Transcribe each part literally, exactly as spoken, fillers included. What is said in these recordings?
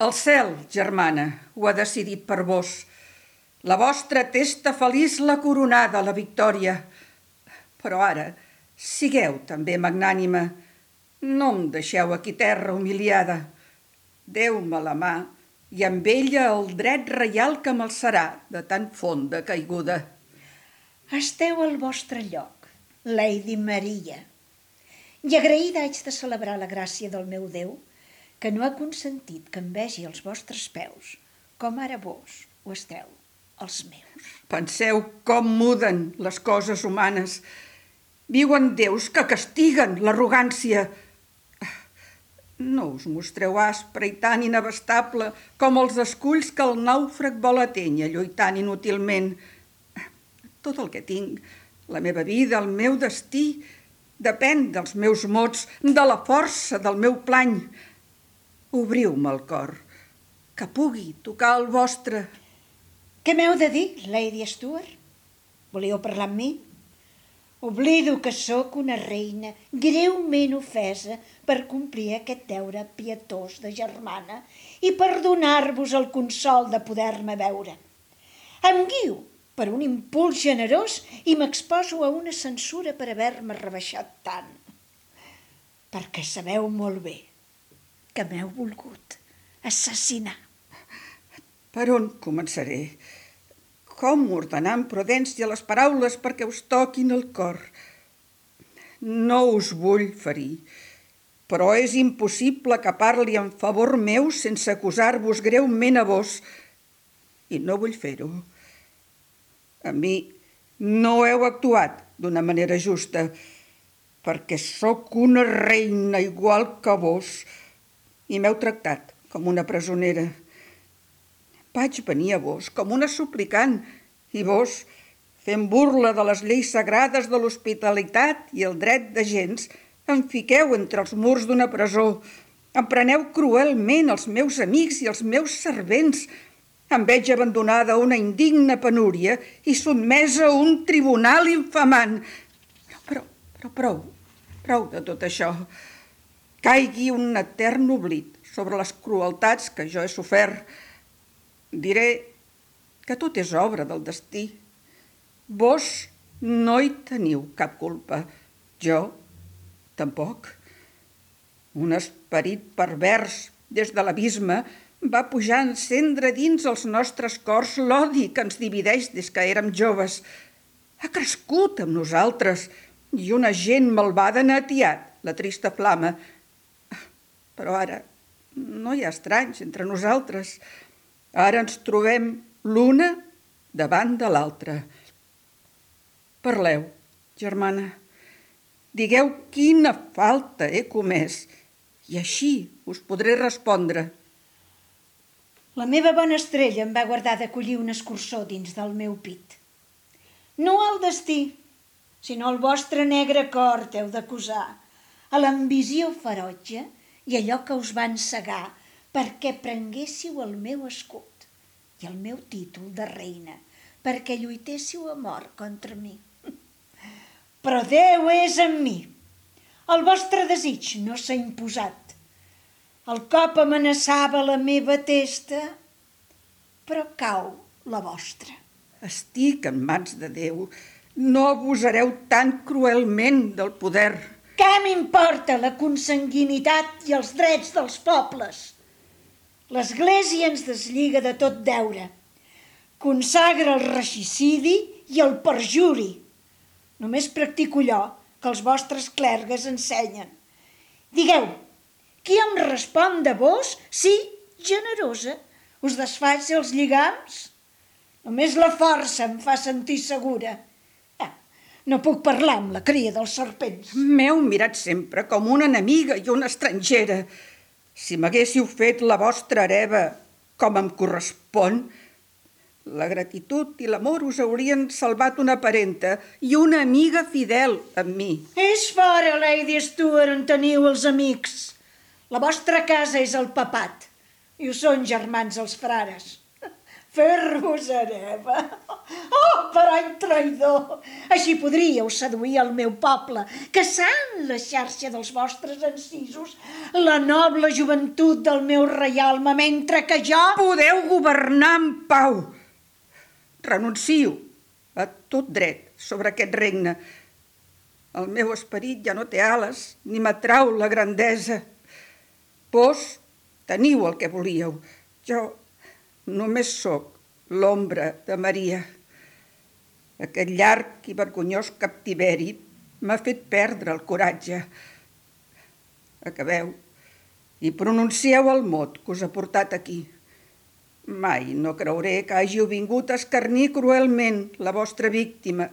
El cel, germana, ho ha decidit per vos. La vostra testa feliç l'ha coronada, la victòria. Però ara, sigueu també magnànima. No em deixeu aquí terra humiliada. Deu-me la mà i amb ella el dret reial que m'alçarà de tan fonda caiguda. Esteu al vostre lloc, Lady Maria, i agraïda haig de celebrar la gràcia del meu Déu, que no ha consentit que em vegi els vostres peus, com ara vos ho esteu els meus. Penseu com muden les coses humanes. Viuen déus que castiguen l'arrogància. No us mostreu aspre i tan inabastable com els esculls que el nàufrag vol atènyer lluitant inútilment. Tot el que tinc, la meva vida, el meu destí, depèn dels meus mots, de la força del meu plany. Obriu-me el cor, que pugui tocar el vostre. Què m'heu de dir, Lady Stuart? Volíeu parlar amb mi? Oblido que sóc una reina greument ofesa per complir aquest deure pietós de germana i per donar-vos el consol de poder-me veure. Em guio per un impuls generós i m'exposo a una censura per haver-me rebaixat tant. Perquè sabeu molt bé que m'heu volgut assassinar. Per on començaré? Com ordenar amb prudència les paraules perquè us toquin el cor? No us vull ferir, però és impossible que parli en favor meu sense acusar-vos greument a vos, i no vull fer-ho. A mi no heu actuat d'una manera justa, perquè sóc una reina igual que vos i m'heu tractat com una presonera. Vaig venir a vos com una suplicant i vos, fent burla de les lleis sagrades de l'hospitalitat i el dret de gens, em fiqueu entre els murs d'una presó, em preneu cruelment els meus amics i els meus servents, em veig abandonada a una indigna penúria i sotmesa a un tribunal infamant. Però, però prou, prou de tot això. Caigui un etern oblit sobre les crueltats que jo he sofert. Diré que tot és obra del destí. Vos no hi teniu cap culpa, jo tampoc. Un esperit pervers des de l'abisme va pujar a encendre dins els nostres cors l'odi que ens divideix des que érem joves. Ha crescut amb nosaltres i una gent malvada n'ha atiat la trista flama. Però ara no hi ha estranys entre nosaltres. Ara ens trobem l'una davant de l'altra. Parleu, germana. Digueu quina falta he comès i així us podré respondre. La meva bona estrella em va guardar d'acollir un escurçó dins del meu pit. No el destí, sinó el vostre negre cor t'heu d'acusar, a l'ambició ferotge i allò que us van cegar perquè prenguéssiu el meu escut i el meu títol de reina, perquè lluitéssiu a mort contra mi. Però Déu és amb mi. El vostre desig no s'ha imposat. El cop amenaçava la meva testa, però cau la vostra. Estic en mans de Déu. No abusareu tan cruelment del poder. Què m'importa la consanguinitat i els drets dels pobles? L'Església ens deslliga de tot deure. Consagra el regicidi i el perjuri. Només practico allò que els vostres clergues ensenyen. Digueu, qui em respon de vos si, generosa, us desfaig els lligams? Només la força em fa sentir segura. Ah, no puc parlar amb la cria dels serpents. M'heu mirat sempre com una enemiga i una estrangera. Si m'haguéssiu fet la vostra hereva com em correspon, la gratitud i l'amor us haurien salvat una parenta i una amiga fidel amb mi. És fora, Lady Stuart, on teniu els amics. La vostra casa és el papat i ho són germans els frares. fer-vos hereva. Oh, parany traïdor! Així podríeu seduir el meu poble, caçant la xarxa dels vostres encisos, la noble joventut del meu reialme, mentre que jo... Podeu governar en pau. Renuncio a tot dret sobre aquest regne. El meu esperit ja no té ales, ni m'atrau la grandesa. Vos teniu el que volíeu. Jo només sóc l'ombra de Maria. Aquest llarg i vergonyós captiveri m'ha fet perdre el coratge. Acabeu i pronuncieu el mot que us ha portat aquí. Mai no creuré que hàgiu vingut a escarnir cruelment la vostra víctima.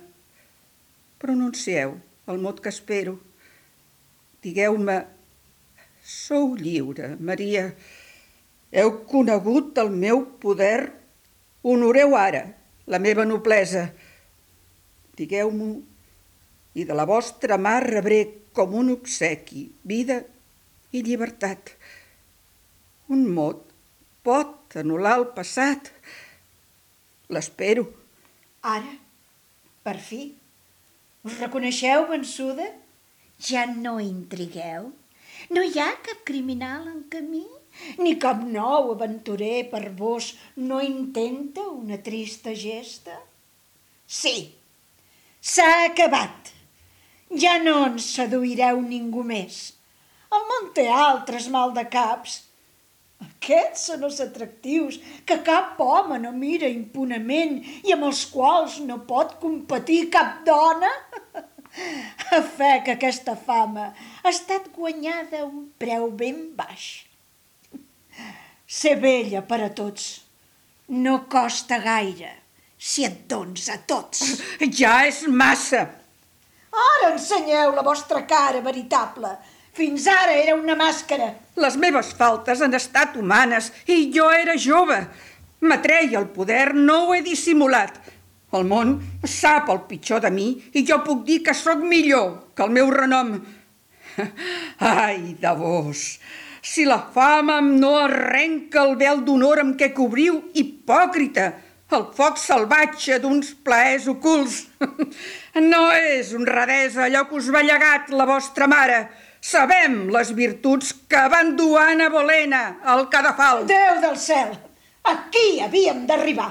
Pronuncieu el mot que espero. Digueu-me: sou lliure, Maria. Heu conegut el meu poder. Honoreu ara la meva noblesa. Digueu-m'ho i de la vostra mà rebré com un obsequi vida i llibertat. Un mot pot anul·lar el passat. L'espero. Ara, per fi, us reconeixeu vençuda? Ja no intrigueu? No hi ha cap criminal en camí? Ni cap nou aventurer per vos no intenta una trista gesta? Sí, s'ha acabat. Ja no ens seduireu ningú més. El món té altres maldecaps. Aquests són els atractius que cap home no mira impunament i amb els quals no pot competir cap dona. A fe que aquesta fama ha estat guanyada a un preu ben baix. Ser bella per a tots no costa gaire si et dones a tots. Ja és massa. Ara ensenyeu la vostra cara veritable. Fins ara era una màscara. Les meves faltes han estat humanes i jo era jove. M'atreia el poder, no ho he dissimulat. El món sap el pitjor de mi i jo puc dir que sóc millor que el meu renom. Ai, de vos! Si la fama no arrenca el vel d'honor amb què cobriu, hipòcrita, el foc salvatge d'uns plaers ocults. No és honradesa allò que us va llegat la vostra mare. Sabem les virtuts que van dur Anna Bolena al cadafal. Déu del cel! Aquí havíem d'arribar.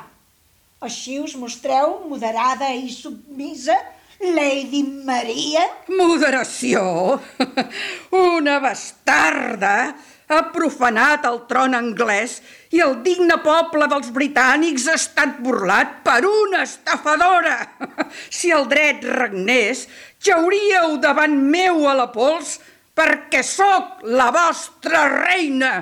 Així us mostreu moderada i submisa, Lady Maria? Moderació? Una bastarda ha profanat el tron anglès i el digne poble dels britànics ha estat burlat per una estafadora. Si el dret regnés, jauríeu davant meu a la pols perquè sóc la vostra reina.